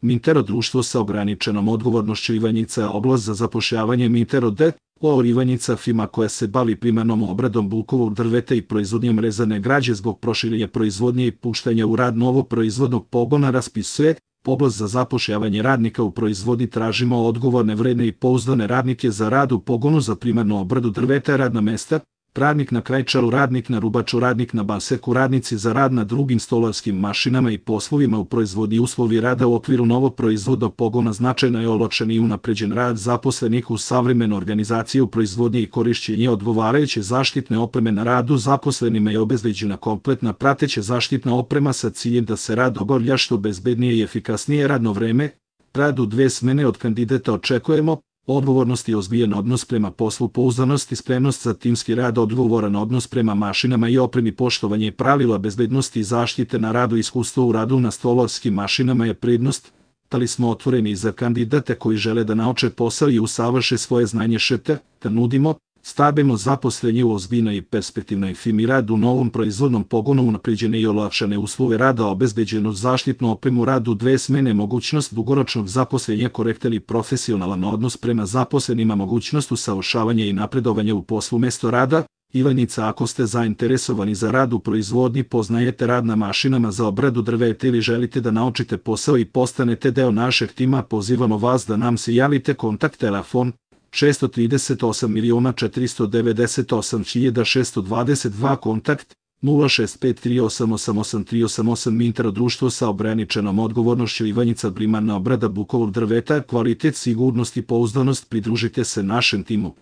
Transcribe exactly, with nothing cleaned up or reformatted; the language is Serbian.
Mintero društvo sa ograničenom odgovornošću Ivanjica oblast za zapošljavanje Mintero D. O. Ivanjica firma koja se bavi primarnom obradom bukovog drveta i proizvodnjom rezane građe zbog proširenja proizvodnje i puštanja u rad novog proizvodnog pogona raspisuje oblast za zapošljavanje radnika u proizvodnji. Tražimo odgovorne, vredne i pouzdane radnike za rad u pogonu za primarnu obradu drveta, radna mesta, radnik na krajčaru, radnik na rubaču, radnik na baseku, radnici za rad na drugim stolarskim mašinama i poslovima u proizvodnji. Uslovi rada u okviru novog proizvodnog pogona značajno je olakšan i unapređen rad zaposlenih u savremenu organizaciju u proizvodnji i korišćenje odgovarajuće zaštitne opreme na radu. Zaposlenima je obezbeđena kompletna prateća zaštitna oprema sa ciljem da se rad obavlja što bezbednije i efikasnije. Radno vreme, rad u dve smene. Od kandidata očekujemo odgovornost i ozbiljan odnos prema poslu, pouzdanost i spremnost za timski rad, odgovoran odnos prema mašinama i opremi, poštovanje pravila bezbednosti i zaštite na radu, iskustvo u radu na stolarskim mašinama je prednost. Da li smo otvoreni za kandidate koji žele da nauče posao i usavrše svoje znanje šete, da nudimo stabilno zaposlenje u ozbiljnoj i perspektivnoj firmi, rad u novom proizvodnom pogonu, unapređene i olakšane uslove rada, obezbeđenu zaštitnu opremu, rad u dve smene, mogućnost dugoročnog zaposlenja, korektan i profesionalan odnos prema zaposlenima, mogućnost usavršavanja i napredovanja u poslu, mesto rada. Ivanjica. Ako ste zainteresovani za rad u proizvodnji, poznajete rad na mašinama za obradu drveta ili želite da naučite posao i postanete deo našeg tima, pozivamo vas da nam se javite. Kontakt telefon šest tri osam miliona četiristo devedeset osam hiljada šeststo dvadeset dva, kontakt nula šest pet tri osam osam osam tri osam osam. Mintero društvo sa ograničenom odgovornošću Ivanjica, primarna obrada bukovog drveta, kvalitet, sigurnost i pouzdanost. Pridružite se našem timu.